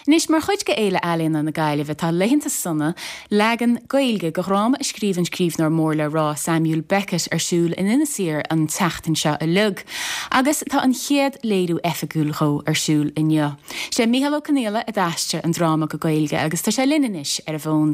Anois, mar chuid de Fhéile Ealaíona na Gaillimhe, tá Laethanta Sona, leagan Gaeilge de dhráma a scríobh an scríbhneoir mór le rá Samuel Beckett ar siúl in Inis Oírr an tseachtain seo uilig. Agus tá an chéad léiriú oifigiúil dhó ar siúl inniu. Sé Mícheál Ó Conghaile a d'aistrigh an dráma go Gaeilge agus tá sé linn anois ar an bhfón.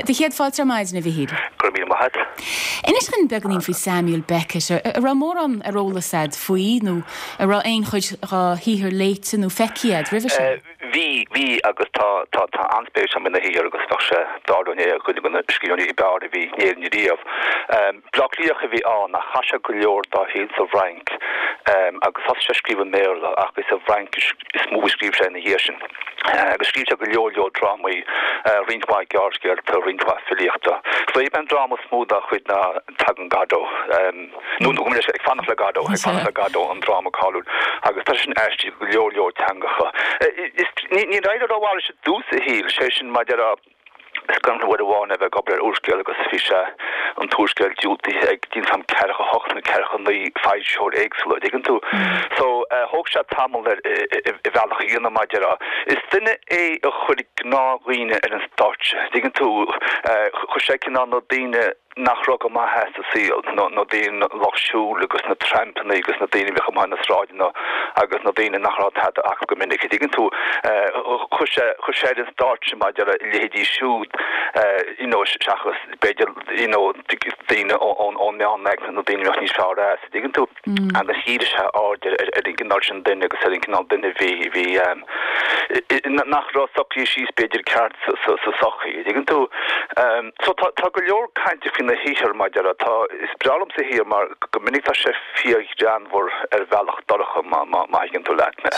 Do chéad fáilte ar maidin, a Mhichíl. Go raibh míle maith agat. Inis dhúinn beagáinín faoi Samuel Beckett. An raibh mórán ar eolas a'd faoi nó an raibh aon chuid dhá shaothar léite nó feicthe a'd roimhe sin? Bhí, bhí agus tá, tá, tá an-spéis agam ina shaothar agus bheadh sé d'ardú é ar dhuine de na scríbhneoirí ab fhearr a bhí in Éirinn riamh. Bleá Cliathach a bhí ann ach chaith sé go leor dá shaol sa bhFrainc agus thosaigh sé ag scríobh i mBéarla ach is sa bhFraincis is mó a scríobh sé ina dhiaidh sin. Agus scríobh sé go leor leor drámaí, roinnt mhaith gearrscéalta, roinnt mhaith filíochta. Is é an dráma is mó dá chuid ná Tagann Godot. Nó gabh mo leithscéal, Ag Fanacht le Godot, Ag Fanacht le Godot, an dráma cáiliúil, agus tá sé sin aistrithe go leor leor teangacha. Is níor éirigh rómhaith leis i dtús a shaoil, sé sin mar a déarfá, is cuimhin liom uair amháin é bheith ag obair ar úrscéal agus bhí sé, an t-úrscéal diúltaithe ag, níl a fhios agam, ceathracha hocht nó ceathracha naoi foilsitheoir éagsúla, an dtuigeann tú? So, thóg sé tamall air a bhealach a dhéanamh mar a déarfá. Is duine é a chuir gnáthdhaoine ar an stáitse, an dtuigeann tú? Chuir sé cineál na daoine, nach raibh go maith as sa saol, na daoine lucht siúil agus na trampanna agus na daoine a bhíodh amuigh ar na sráideanna agus na daoine nach raibh tada acu go minic, an dtuigeann tú. Chuir sé, chuir sé ar an stáitse mar a déarfá a leithéidí siúd you know seachas b'fhéidir you know daoine ón ón meánaicme nó daoine a bheadh níos fearr as, an dtuigeann tú. Agus dhírigh sé aird ar ar an gcineál sin duine agus ar an gcineál duine a bhí, a bhí nach raibh socraithe síos b'fhéidir ceart sa sa sochaí, an dtuigeann tú. So tá tá go leor cainte faoina shaothar mar a déarfá, tá, is breá liomsa a shaothar mar go minic tá sé fíorghreannmhar ar bhealach dorcha má má má thuigeann tú leat mé.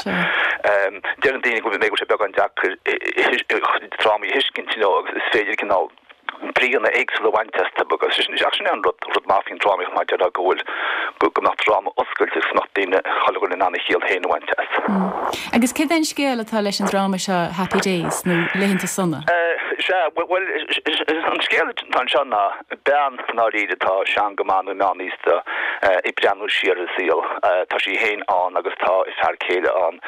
Deireann daoine go bhfuil sé beagán deacair drámaí a thuiscint you know agus is féidir cineál bríonna éagsúla a bhaint astu agus sin ach sin é an rud rud maith faoin drámaíocht mar a déarfá go bhfuil go go mbeadh dráma oscailte agus go mbeadh daoine chuile dhuine in ann a chiall féin a bhaint as. Agus céard é an scéal atá leis an dráma seo Happy Days nó Laethanta Sona? Sea, bhuel an scéal atá anseo ná bean i ndáiríre atá sean go maith nó meánaosta ag breathnú siar ar a saol. Tá sí féin ann agus tá a fear céile ann.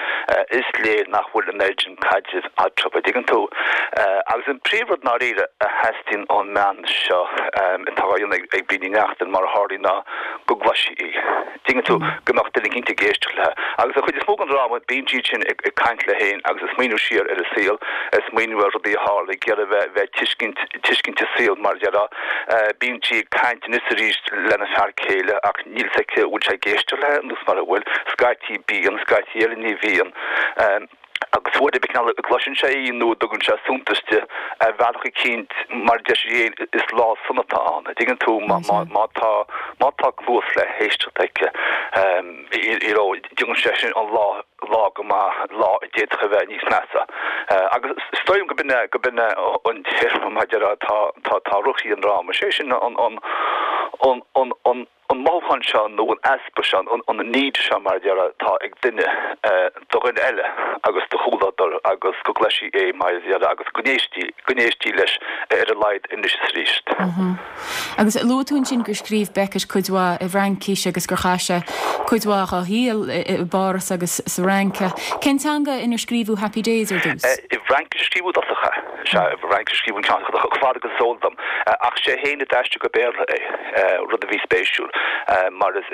Is léir nach bhfuil an oiread sin caidrimh eatarthu, an dtuigeann tú. Agus an príomhrud i ndáiríre a theastaíonn ón mbean seo, atá á dhéanamh ag Bríd Ní Neachtain, mar a tharlaíonn, ná go gcloisfí í. Tuigeann tú, go mbeadh duine eicínt ag éisteacht léi. Agus an chuid is mó den dráma, bíonn sí ansin ag caint léi féin agus ag smaoineamh siar ar a saol, ag smaoineamh ar rudaí a tharla, ag iarraidh bheith, bheith ag tuiscint, tuiscint an saol, mar a déarfá. Bíonn sí ag caint anois is arís lena fear céile ach níl fhios aici an bhfuil sé ag éisteacht léi nó mura bhfuil. Scaití bíonn, scaití eile ní bhíonn. Agus uair ar bith cineál a gcloiseann sé í nó a dtugann sé suntas di ar bhealach eicínt, mar a deir sí féin, is lá sona atá ann. An dtuigeann tú, má, má, má tá, má tá cluas le héisteacht aici, you know, déanann sé sin an lá, lá go maith, lá a d'fhéadfadh a bheith níos measa. Agus is dóigh liom go b'in é, go b'in é an téarma, mar a déarfá, atá, atá, atá ag rith an dráma. Sé sin an, an, an, an, an, an mothúchán seo nó an easpa seo, an need seo mar a déarfá atá ag duine do dhuine eile agus do chomhluadar agus go gcloisfí é mar a déarfá agus go n-éistí, go n-éistí leis ar a laghad anois is arís. Agus luaigh tú ansin gur scríobh Beckett cuid mhaith i bhFraincis agus gur chaith sé cuid mhaith dá shaol i bPáras agus sa Fhrainc. Cén teanga inar scríobhadh Happy Days ar dtús? I bhFraincis a scríobhadh i dtosach é. Sea, i bhFraincis a scríobhadh an ceann chomh fada agus is eol dom. Ach sé féin a d'aistrigh go Béarla é. rud a bhí spéisiúil mar is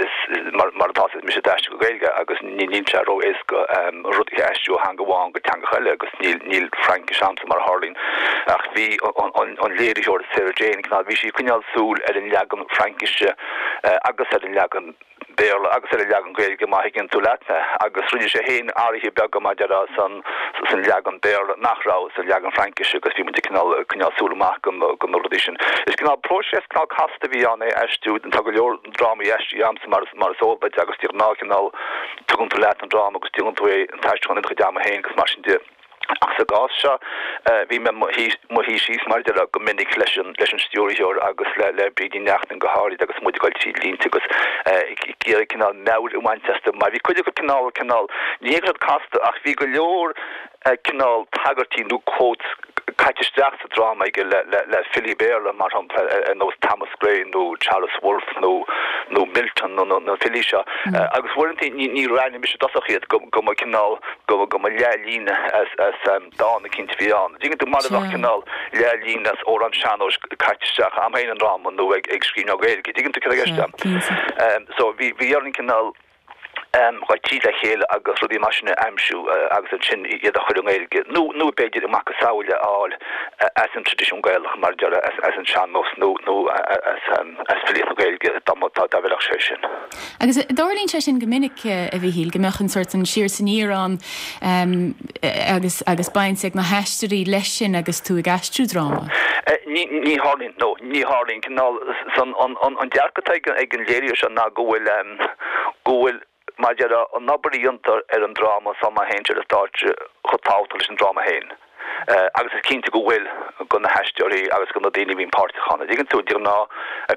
mar atá is mise a d'aistrigh go Gaeilge agus níl sé ró-éasca rud a aistriú ó theanga amháin go teangacha eile agus níl níl Fraincis a'msa mar a tharlaíonn ach bhí an léiritheoir Sarah Jane cineál bhí sí ag coinneáil súil ar an leagan Fraincise agus ar an leagan Béarla agus ar an leagan Gaeilge má thuigeann tú leat mé, agus rinne sé féin athruithe beaga mar a déarfá san san leagan Béarla nach raibh sa leagan Fraincise agus bhí muid ag cineál ag coinneáil súil amach go na go na rudaí sin. Is cineál próiseas cineál casta a bhí ann é a aistriú, tá go leor drámaí aistrithe a'msa mar is mar is eol duit agus de ghnáth cineál tugann tú leat an dráma agus déanann tú é an t-aistriúchán ina chuid ama féin agus mar sin de. Ach sa gcás seo, bhí mé i mo shuí síos, mar a déarfá, go minic leis an leis an stiúrthóir agus le le Bríd Ní Neachtain go háirid agus muid ag dul tríd línte agus ag iarraidh cineál meabhair a bhaint astu mar bhí cuid acu cineál cineál, ní hé go raibh siad casta ach bhí go leor cineál tagairtí nó quotes. caite isteach sa dráma aige le le le filí Béarla, mar shampla, ar nós Thomas Gray nó Charles Wolfe nó nó Milton nó na filí seo. Agus uaireanta ní ní roghnaigh mise i dtosach iad go go mba cineál go go mba leathlíne as as dán eicínt a bhí ann. Dtuigeann tú, mar a bheadh cineál leathlíne as amhrán sean-nóis caite isteach a'm féin i ndráma nó ag ag scríbhneoir Gaeilge. Dtuigeann tú céard atá i gceist a'm? So bhí bhí orainn cineál dhul tríd le chéile agus rudaí mar sin a aimsiú agus ansin iad a chur i nGaeilge nó nó b'fhéidir a macasamhail a fháil as an traidisiún Gaelach mar a déarfá, as as an sean-nós nó nó as as filíocht na Gaeilge dá mba dá dá bhfeilfeadh sé sin. Agus tarlaíonn sé sin go minic, a Mhíchíl, go mbeadh an sórt an siar is aniar ann agus agus baint ag na haisteoirí leis sin agus tú ag aistriú dráma. Ní ní tharlaíonn, no, ní tharlaíonn. Cineál san an an an dearcadh atá ag ag an léiritheoir seo ná go bhfuil go bhfuil, mar a déarfá, an obair a dhéantar ar an dráma sula má théann sé ar an stáitse chomh tábhachtach leis an dráma féin. Agus is cinnte go bhfuil do na haisteoirí agus do na daoine a bhíonn páirteach ann. An dtuigeann tú, de ghnáth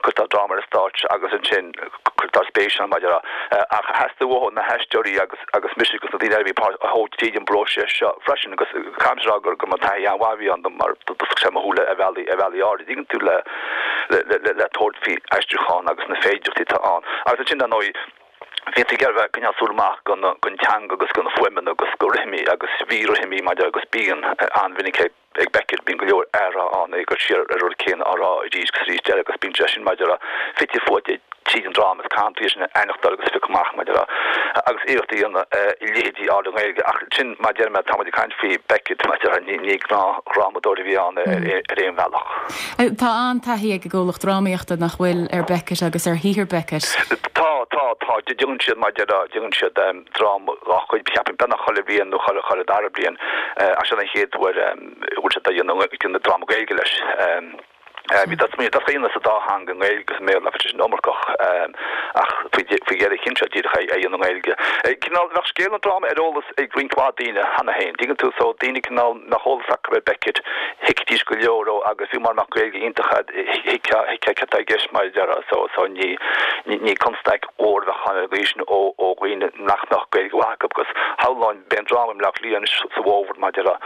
cuirtear dráma ar an stáitse agus ansin cuirtear spéis ann, mar a déarfá. Ach theastaigh uathu na haisteoirí agus agus mise agus na daoine eile a bhí páirteach a thabhairt tríd an bpróiseas seo freisin agus caithfidh mé a rá gur go mba taithí an-mhaith a bhí ann dom mar d'oscail sé mo shúile ar bhealaí ar bhealaí áirid. An dtuigeann tú le le tabhairt faoi aistriúchán agus na féidearthachtaí atá ann. Agus ansin, dar ndóigh, bhí tú ag iarraidh bheith ag coinneáil súil amach don teanga agus do na fuaimeanna agus do rithimí agus bhí rithimí maidir agus bíonn an-mhinic ag Beckett, bíonn go leor athrá ann, é ag cur siar ar an rud céanna á rá arís agus arís eile agus bíonn sé sin maidir fite fuaite tríd an dráma is caitheann tú é sin a aithneachtáil agus a phiocadh amach maidir agus iarracht a dhéanamh a leithéidí a fháil i nGaeilge ach sin mar a deir mé tá muid ag caint faoi Beckett maidir ní gnáthdhrámadóir a bhí ann ar aon bhealach. Tá an-taithí ag an gcomhlacht drámaíochta, nach bhfuil, ar Beckett agus ar shaothar Beckett? Tá, tá, tá. Déanann siad, mar a déarfá, déanann siad dráma dá chuid, cheapfainn, beagnach chuile bhliain nó chuile, chuile dara bliain. Ach seo an chéad uair a bhfuil siad ag déanamh dráma Gaeilge leis. Bhí dá smaoineamh, dá dhéanamh sa dá theanga, i nGaeilge agus i mBéarla, bhí sé sin iomarcach, ach faoi dheireadh chinn siad díreach é a dhéanamh i nGaeilge. Cineál, bheadh scéal an dráma ar eolas ag roinnt mhaith daoine cheana féin, dtuigeann tú, so daoine cineál nach mbeadh eolas acu ar Beckett, thuigfidís go leor dó agus fiú mura mbeadh Gaeilge iontach agat, thuigfeá céard atá i gceist mar a déarfá, so, so ní, ní constaic mhór a bheadh ann ar an gcaoi sin ó, ó dhaoine nach mbeadh Gaeilge mhaith acu agus shamhlóinn, beidh an dráma i mBleá Cliath anois sa bhfómhar mar a déarfá,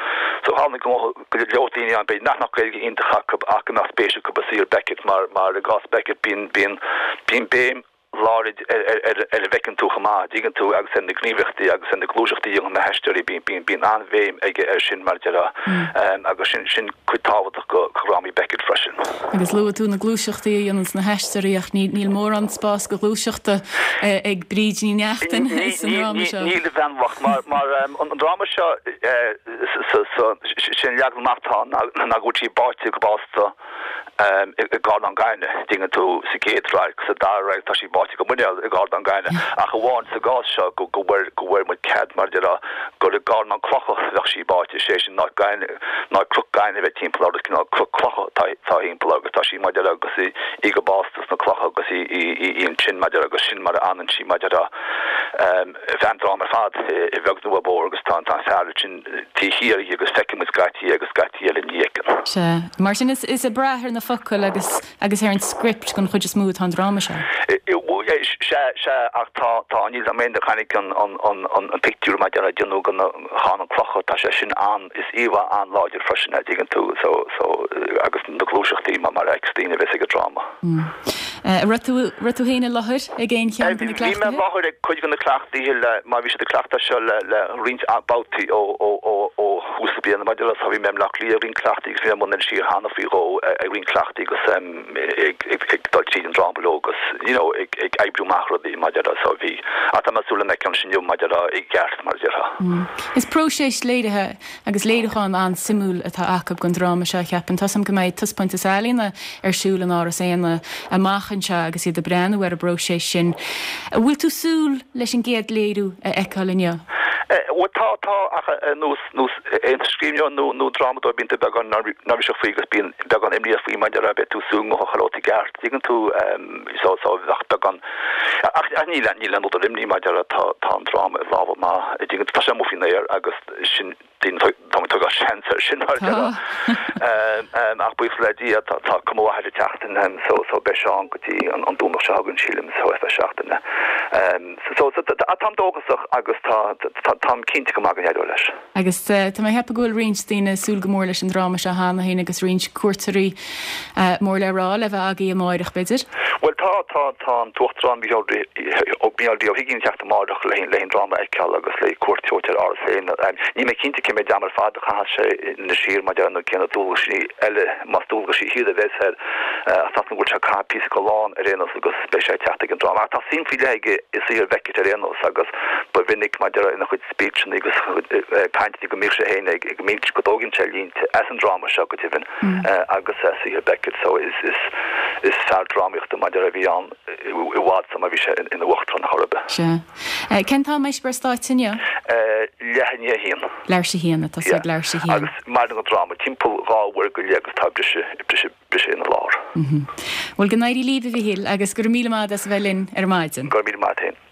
so shamhlóinn go mbeadh go leor daoine ann b'fhéidir nach mbeadh Gaeilge iontach acu ach go mbeadh spéis acu i saothar Beckett mar, mar i gcás Beckett bíonn, bíonn, bíonn béim láidir ar ar a bhfeiceann tú chomh maith, dtuigeann tú, agus ar na gníomhaíochtaí agus ar na gluaiseachtaí a dhéanann na haisteoirí, bíonn bíonn an-bhéim aige air sin mar a déarfá agus sin sin cuid tábhachtach de dhrámaí Beckett freisin. Agus luaigh tú na gluaiseachtaí a dhéananns na haisteoirí ach ní níl mórán spás do ghluaiseachta ag Bríd Ní Neachtain sa ndráma seo. Níl, a bhean bhocht, mar mar an dráma seo sé an leagan amach atá ann ná go bhfuil sí báite go básta i gcarnán gainimh, dtuigeann tú, sa gcéad radharc, sa dara radharc tá sí báite go muineál i gcarnán gainimh, ach amháin sa gcás seo go go bhfuair go bhfuair muid cead mar a déarfá gur i gcarnán clocha a bheadh sí báite, sé sin ná gainimh ná cnoc gainimh a bheith timpeall uirthi, cineál cnoc clocha atá atá thimpeall agus tá sí mar a déarfá agus í í go básta sna clocha agus í í í í ansin mar a déarfá agus sin mar a fhanann sí mar a déarfá feadh an dráma ar fad, a bheag nó a mhór agus tá an fear ansin taobh thiar dhi agus feiceann muid scaití agus scaití eile ní fheiceann. Sea. Mar sin is ag brath ar na focail agus agus ar an script den chuid is mó atá an dráma seo. Sea, sea, ach tá, tá, níl 'fhios a'm aon duine a chonaic an, an, an, an, an pictiúr mar a déarfá a déanadh den charnán clocha, tá sé sin an, is íomhá an-láidir freisin é, dtuigeann tú, so, so, agus na gluaiseachtaí mar, mar a fheiceas daoine a bheas ag an dráma. An raibh tú, raibh tú féin i láthair ag aon cheann de na Bhí mé i cleachtaithe? láthair ag cuid de na cleachtaithe le, mar bhí siad ag cleachtadh seo le, le roinnt babhtaí ó, ó, ó, ó thús na bliana. Maidir le, so bhí mé i mBleá Cliath ag roinnt cleachtaí agus bhí mé i mbun Inis Oírr cheana faoi dhó ag roinnt cleachtaí agus ag, ag, ag dul tríd an dráma leo agus, you know, ag, ag oibriú amach rudaí maidir le, so bhí, ach tá mé ag súil lena fheiceáil ansin inniu maidir le, i gceart, mar a déarfá. Is próiseas léirithe Agus léiriúchán an-suimiúil atá acu den dráma seo, cheapfainn. Tá 's a'm go mbeidh taispeántas ealaíona ar siúl in Áras Éanna amach anseo agus iad ag breathnú ar an bpróiseas sin. An bhfuil tú súil leis an gcéad léiriú a fheiceáil inniu? Bhuel, tá, tá, ach ar nós, nós aon scríbhneoir nó, nó drámadóir bíonn tú beagán neirbhíseach faoi agus bíonn beagán imníoch faoi mar a déarfá beidh tú ag súil go ngabhfadh chuile rud i gceart, dtuigeann tú, so, so bheadh beagán, ach, ach níl, níl aon údar imní mar a déarfá tá, tá an dráma i lámha maithe, dtuigeann tú, tá sé amuigh faoin aer agus, sin daoine tá muid ag tógáil seans air sin mar a déarfá. Ach buíochas le Dia tá cuma mhaith air an tseachtain so so beidh sé ann go dtí an Domhnach seo chugainn sílim so ar feadh seachtaine. So so táim dóchasach agus tá táim cinnte go maith go n-éireoidh leis. Agus tá mé ag ceapadh go bhfuil roinnt daoine ag súil go mór leis an dráma seo cheana féin agus roinnt cuairteoirí mór le rá le bheith agaibh amáireach, b'fhéidir? Bhuel tá, tá, tá an tUachtarán Micheál Micheál D. Ó hUiginn ag teacht amáireach le le an dráma a fheiceáil agus le cuairt a thabhairt ar Áras Éanna. Níl mé cinnte cé mhéad am ar fad a chaithfeas sé in Inis Oírr mar nó cé na dualgaisí eile, más dualgaisí iad a bheas air, ach tá go bhfuil sé ag caitheamh píosa den lá ar aon nós agus beidh sé ag teacht ag an dráma. Ach tá suim faoi leith aige i saothar Bheckett ar aon nós agus ba mhinic mar ina chuid speechanna agus cainteanna go mbíodh sé féin ag ag go dtógann sé línte as an dráma seo go deimhin agus as saothar Beckett so is is is fear drámaíochta mar a bhí ann i bhfad sula bhí sé ina uachtarán chor ar bith. Sea. Cén t-am a mbeidh sibh ar stáitse inniu? Leath i ndiaidh a haon. Leathuair tar éis a haon, ag tosú ag leathuair tar éis a haon. Agus maireann an dráma timpeall dhá uair go leith agus tá briseadh briseadh briseadh ina lár. Bhuel go n-éirí libh a Mhichíl agus go raibh míle maith agat as a bheith linn ar maidin. Go raibh míle maith agat féin.